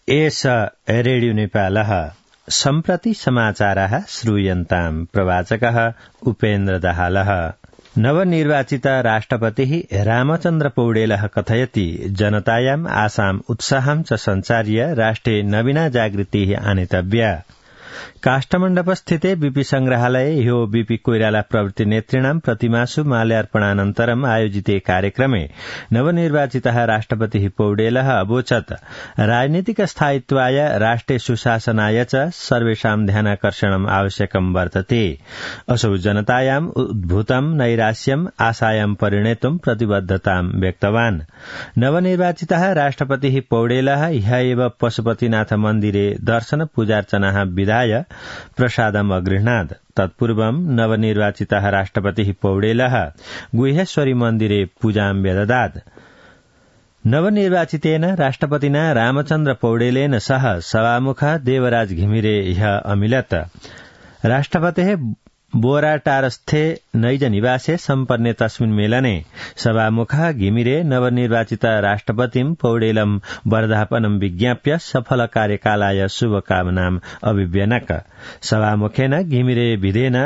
एष रेडियो नेपालः सम्प्रति समाचारः श्रूयन्ताम्। प्रवाचकः उपेन्द्र दाहालः। नवनिर्वाचित राष्ट्रपतिः रामचन्द्र पौडेलः कथयति जनतायाम् आशाम् उत्साहं च सञ्चार्य राष्ट्रे नवीना जागृतिः आनेतव्या। काष्ठमण्डपस्थिते बीपी संग्रहालये ह्यो बीपी कोइराला प्रवृत्ति नेतॄणां प्रतिमासु माल्यार्पणानन्तरम् आयोजिते कार्यक्रमे नवनिर्वाचितः राष्ट्रपतिः पौडेलः अवोचत् राजनीतिक स्थायित्वाय राष्ट्रे सुशासनाय च सर्वेषां ध्यानाकर्षणम् आवश्यकं वर्तते। असौ जनतायाम् उद्भूतं नैराश्यम् आशायां परिणेतुं प्रतिबद्धतां व्यक्तवान्। नवनिर्वाचितः राष्ट्रपतिः पौडेलः ह्यः एव पशुपतिनाथ मन्दिरे दर्शन पूजार्चनाः विधाय प्रसादम् अगृह्णात्। तत्पूर्वं नवनिर्वाचितः राष्ट्रपतिः पौडेलः गुह्येश्वरी मन्दिरे पूजां व्यददात्। नवनिर्वाचितेन राष्ट्रपतिना रामचन्द्र पौडेलेन सह सभामुखः देवराज घिमिरे ह्यः अमिलत्। राष्ट्रपतेः बोराटारस्थे नैज निवासे सम्पन्ने तस्मिन् मेलने सभामुखः घिमिरे नवनिर्वाचित राष्ट्रपतिं पौडेलं वर्धापनं विज्ञाप्य सफल कार्यकालाय शुभकामनाम् अभिव्यनक। सभामुखेन घिमिरे विधेन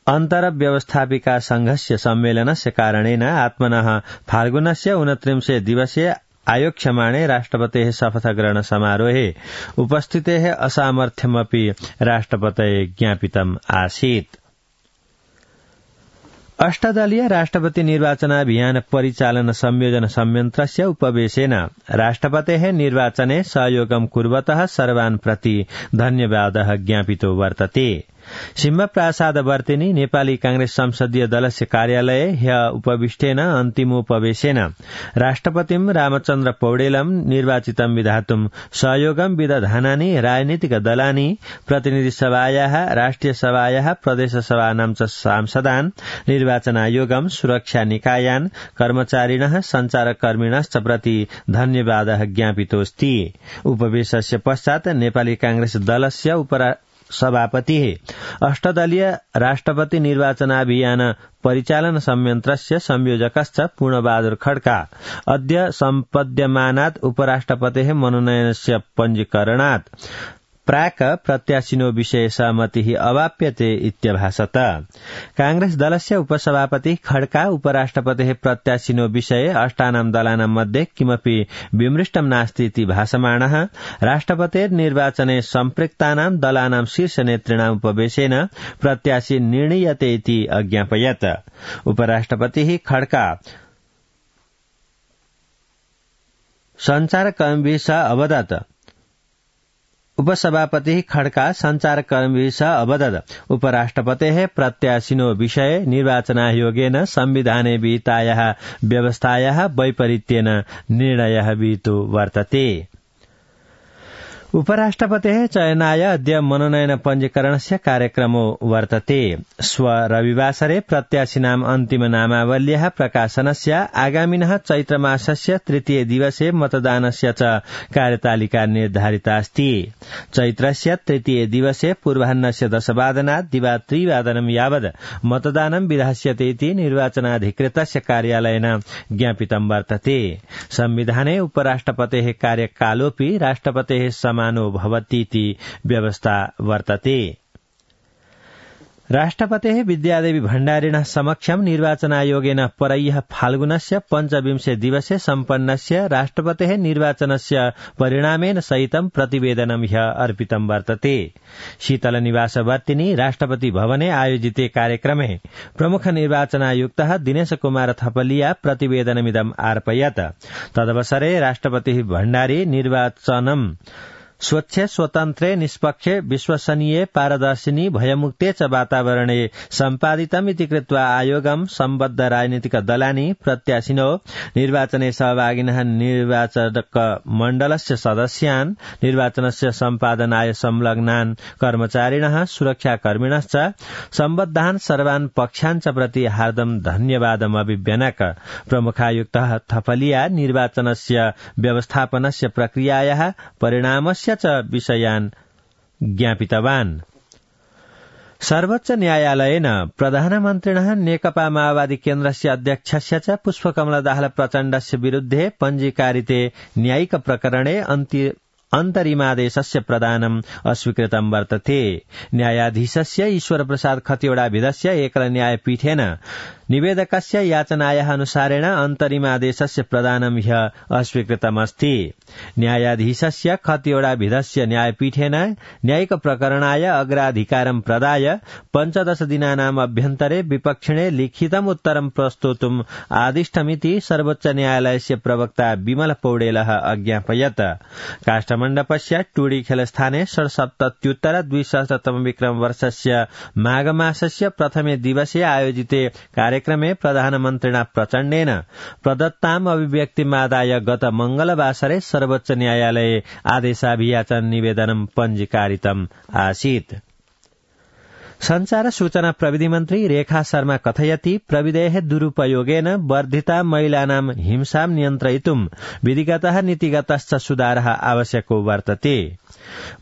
अन्तर्व्यवस्थापिका संघस्य सम्मेलनस्य कारणेन आत्मनः फाल्गुनस्य 29 दिवसे आयोक्ष्यमाणे राष्ट्रपतेः शपथग्रहण समारोहे उपस्थितेः असामर्थ्यमपि राष्ट्रपतये ज्ञापितम् आसीत्। अष्टदलीय राष्ट्रपति निर्वाचनाभियान परिचालन संयोजन संयन्त्रस्य उपवेशेन राष्ट्रपतेः निर्वाचने सहयोगं कुर्वतः सर्वान् प्रति धन्यवादः ज्ञापितो वर्तते। सिंहप्रसादवर्तिनी नेपाली कांग्रेस संसदीय दलस्य कार्यालये ह्यः उपविष्टेन अन्तिमोपवेशेन राष्ट्रपतिं रामचन्द्र पौडेलं निर्वाचितं विधातुं सहयोगं विदधानानि राजनीतिक दलानि प्रतिनिधिसभायाः राष्ट्रिय सभायाः प्रदेशसभानां च सांसदान् निर्वाचनायोगं सुरक्षा निकायान् कर्मचारिणः संचारकर्मिणश्च प्रति धन्यवादः ज्ञापितोऽस्ति। उपवेशस्य पश्चात् नेपाली कांग्रेस दलस्य सभापतिः अष्टदलीय राष्ट्रपति निर्वाचनाभियान परिचालन संयन्त्रस्य संयोजकश्च पूर्णबहादुर खड्का अद्य सम्पद्यमानात् उपराष्ट्रपतेः मनोनयनस्य पञ्जीकरणात् प्राक् प्रत्याशिनो विषये सहमतिः अवाप्यते इत्यभासत। कांग्रेस दलस्य उपसभापति खड्का उपराष्ट्रपतेः प्रत्याशिनो विषये अष्टानां दलानां मध्ये किमपि विमृष्टं नास्ति इति भासमाणः राष्ट्रपतेर्निर्वाचने सम्पृक्तानां दलानां शीर्षनेतॄणाम् उपवेशेन प्रत्याशी निर्णीयते इति अज्ञापयत्। उपराष्ट्रपतिः खड्का सञ्चारकर्मिभिः सह अवदत्। उपसभापतिः खड्का संचारकर्मिभिः सह अवदत् उपराष्ट्रपतेः प्रत्याशिनो विषये निर्वाचनायोगेन संविधाने विहितायाः व्यवस्थायाः वैपरीत्येन निर्णयः विहितो वर्तते। उपराष्ट्रपतेः चयनाय अद्य मनोनयन पञ्जीकरणस्य कार्यक्रमो वर्तते। श्व रविवासरे प्रत्याशिनाम् अन्तिम नामावल्याः प्रकाशनस्य आगामिनः चैत्रमासस्य 3 दिवसे मतदानस्य च कार्यतालिका निर्धारिता अस्ति। चैत्रस्य 3 दिवसे पूर्वाह्नस्य 10 दिवा 3 यावत् मतदानं विधास्यते इति निर्वाचनाधिकृतस्य कार्यालयेन ज्ञापितं वर्तते। संविधाने उपराष्ट्रपतेः कार्यकालोऽपि राष्ट्रपतेः समानो भवतीति व्यवस्था वर्तते। राष्ट्रपतेः विद्यादेवी भण्डारिणः समक्षं निर्वाचनायोगेन परह्यः फाल्गुनस्य 25 दिवसे सम्पन्नस्य राष्ट्रपतेः निर्वाचनस्य परिणामेन सहितं प्रतिवेदनं ह्यः अर्पितं वर्तते। शीतलनिवासवर्तिनी राष्ट्रपति भवने आयोजिते कार्यक्रमे प्रमुख निर्वाचनायुक्तः दिनेश कुमार थपलिया प्रतिवेदनमिदम् अर्पयत्। तदवसरे राष्ट्रपतिः भण्डारी निर्वाचनं स्वच्छ स्वतन्त्रे निष्पक्षे विश्वसनीये पारदर्शिनी भयमुक्ते च वातावरणे सम्पादितमिति कृत्वा आयोगं सम्बद्ध राजनीतिक दलानि प्रत्याशिनो निर्वाचने सहभागिनः निर्वाचक मण्डलस्य सदस्यान् निर्वाचनस्य सम्पादनाय संलग्नान् कर्मचारिणः सुरक्षाकर्मिणश्च सम्बद्धान् सर्वान् पक्षान् च प्रति हार्दं धन्यवादम् अभिव्यनक। प्रमुखायुक्तः थपलिया निर्वाचनस्य व्यवस्थापनस्य प्रक्रियायाः परिणामस्य च विषयान् ज्ञापितवान्। सर्वोच्च न्यायालयेन प्रधानमन्त्रिणः नेकपा माओवादी केन्द्रस्य अध्यक्षस्य च पुष्पकमल दाहाल प्रचण्डस्य विरुद्धे पञ्जीकारिते न्यायिक प्रकरणे अन्तरिमादेशस्य प्रदानम् अस्वीकृतं वर्तते। न्यायाधीशस्य ईश्वरप्रसाद खतिवड़ाभिधस्य एकल न्यायपीठेन निवेदकस्य याचनायाः अनुसारेण अन्तरिमादेशस्य प्रदानं ह्य अस्वीकृतमस्ति। न्यायाधीशस्य खतिवड़ाभिधस्य न्यायपीठेन न्यायिक प्रकरणाय अग्राधिकारं प्रदाय 15 दिनानाम् अभ्यन्तरे विपक्षिणे लिखितम् उत्तरं प्रस्तोतुम् आदिष्टमिति सर्वोच्च न्यायालयस्य प्रवक्ता विमल पौडेलः अज्ञापयत्। काष्ठमण्डपस्य टुडीखेलस्थाने 77-द्विसहस्रतम विक्रमवर्षस्य माघमासस्य प्रथमे दिवसे आयोजिते कार्यक्रमे प्रधानमन्त्रिणा प्रचण्डेन प्रदत्ताम् अभिव्यक्तिमादाय गत मंगलवासरे सर्वोच्च न्यायालये आदेशाभियाचन निवेदनं पञ्जीकारितम् आसीत्। संचार सूचना प्रविधि मन्त्री रेखा शर्मा कथयति प्रविधेः दुरुपयोगेन वर्धिता महिलानां हिंसां नियन्त्रयितुं विधिगतः नीतिगतश्च सुधारः आवश्यको वर्तते।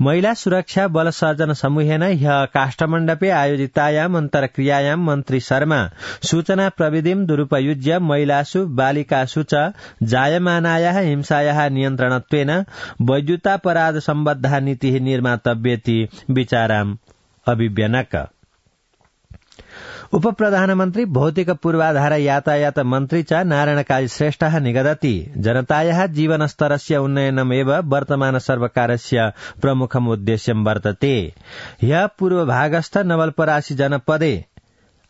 महिला सुरक्षा बल सर्जन समूहेन ह्यः काष्ठमण्डपे आयोजितायाम् अन्तर्क्रियायां मन्त्री शर्मा सूचना प्रविधिं दुरुपयुज्य महिलासु बालिकासु च जायमानायाः हिंसायाः नियन्त्रणत्वेन वैद्युतापराध सम्बद्धा नीतिः निर्मातव्येति विचाराम् अभिव्यनक। उपप्रधानमन्त्री भौतिक पूर्वाधार यातायात मन्त्री च नारायणकाली श्रेष्ठः निगदति जनतायाः जीवनस्तरस्य उन्नयनमेव वर्तमान सर्वकारस्य प्रमुखम् उद्देश्यं वर्तते। ह्यः पूर्वभागस्थ नवलपरासी जनपदे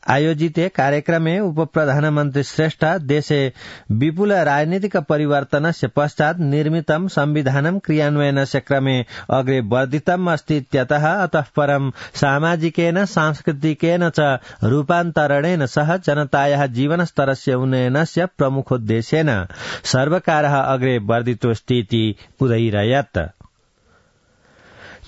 आयोजिते कार्यक्रमे उपप्रधानमन्त्री श्रेष्ठ देशे विपुल राजनीतिक परिवर्तनस्य पश्चात् निर्मितं संविधानं क्रियान्वयनस्य क्रमे अग्रे वर्धितम् अस्ति इत्यतः अतः परं सामाजिकेन सांस्कृतिकेन च रूपान्तरणेन सह जनतायाः जीवनस्तरस्य उन्नयनस्य प्रमुखोद्देश्येन सर्वकारः अग्रे वर्धितोऽस्तीति उदयिरयत्।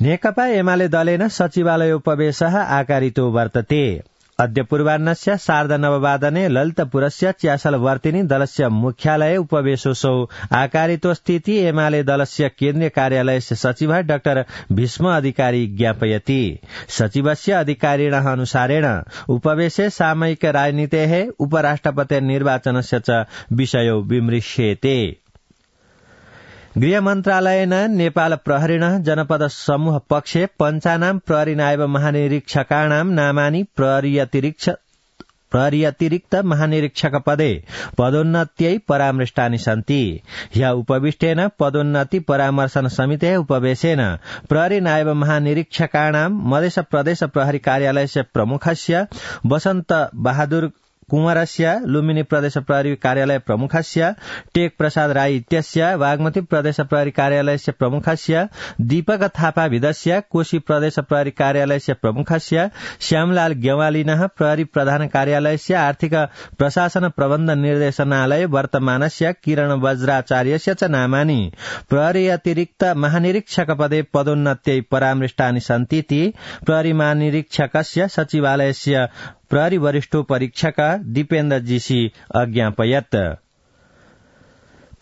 नेकपा एमाले दलेन सचिवालयोपवेशः आकारितो वर्तते। अद्य पूर्वाह्नस्य 9:30 ललितपुरस्य च्यासलवर्तिनी दलस्य मुख्यालये उपवेशोऽसौ आकारितोऽस्तीति एमाले दलस्य केन्द्रीय कार्यालयस्य सचिवः डाक्टर भीष्म अधिकारी ज्ञापयति। सचिवस्य अधिकारिणः अनुसारेण उपवेशे सामयिक राजनीतेः उपराष्ट्रपतिर्निर्वाचनस्य च विषयो विमृश्येते। गृहमन्त्रालयेन नेपाल प्रहरिणः जनपद समूह पक्षे पञ्चानां प्रहरी नायब महानिरीक्षकाणां नामानि प्रहरी अतिरिक्त महानिरीक्षक पदे पदोन्नत्यै परामृष्टानि सन्ति। ह्यः उपविष्टेन पदोन्नति परामर्शन समितेः उपवेशेन प्रहरी नायब महानिरीक्षकाणां मधेश प्रदेश प्रहरी कार्यालयस्य प्रमुखस्य वसन्त बहादुर कुंवरस्य लुम्बिनी प्रदेश प्रहरी कार्यालय प्रमुखस्य टेक प्रसाद राई इत्यस्य बागमती प्रदेश प्रहरी कार्यालयस्य प्रमुखस्य दीपक थापा विदस्य कोशी प्रदेश प्रहरी कार्यालयस्य प्रमुखस्य श्यामलाल गेवालिनः प्रहरी प्रधान कार्यालयस्य आर्थिक प्रशासन प्रबन्ध निर्देशनालय वर्तमानस्य किरण वज्राचार्यस्य च नामानि प्रहरी अतिरिक्त महानिरीक्षक पदे पदोन्नत्यै परामृष्टानि सन्तीति प्रहरी महानिरीक्षकस्य सचिवालयस्य प्रहरी वरिष्ठो परीक्षक दीपेन्द्र जीसी अज्ञापयत्।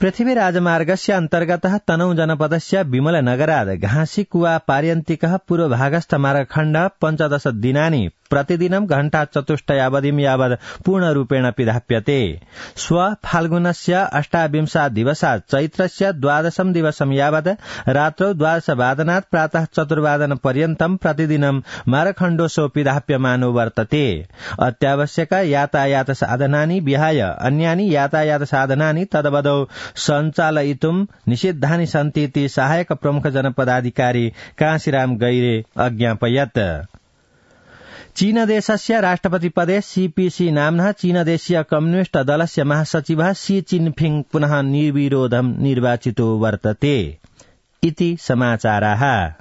पृथ्वी राजमार्गस्य अन्तर्गतः तनहु जनपदस्य विमल नगरात् घाँसी कुवा पार्यन्तिकः पूर्वभागस्थ मार्गखण्ड 15 दिनानि प्रतिदिनं घण्टाचतुष्टयावधिं यावत् पूर्णरूपेण पिधाप्यते। श्व फाल्गुनस्य 28 दिवसात् चैत्रस्य 12 दिवसं यावत् रात्रौ 12 वादनात् प्रातः 4 वादनपर्यन्तं प्रतिदिनं मार्गखण्डोऽसौ पिधाप्यमानो वर्तते। अत्यावश्यक यातायात साधनानि विहाय अन्यानि यातायात साधनानि तदवधौ सञ्चालयितुं निषिद्धानि सन्ति इति सहायक प्रमुख जनपदाधिकारी काशीराम गैरे अज्ञापयत्। चीनदेशस्य राष्ट्रपति पदे सीपीसी नाम्नः चीनदेशीय कम्युनिस्ट दलस्य महासचिवः शी चिनफिङ पुनः निर्विरोधं निर्वाचितो वर्तते इति समाचाराः।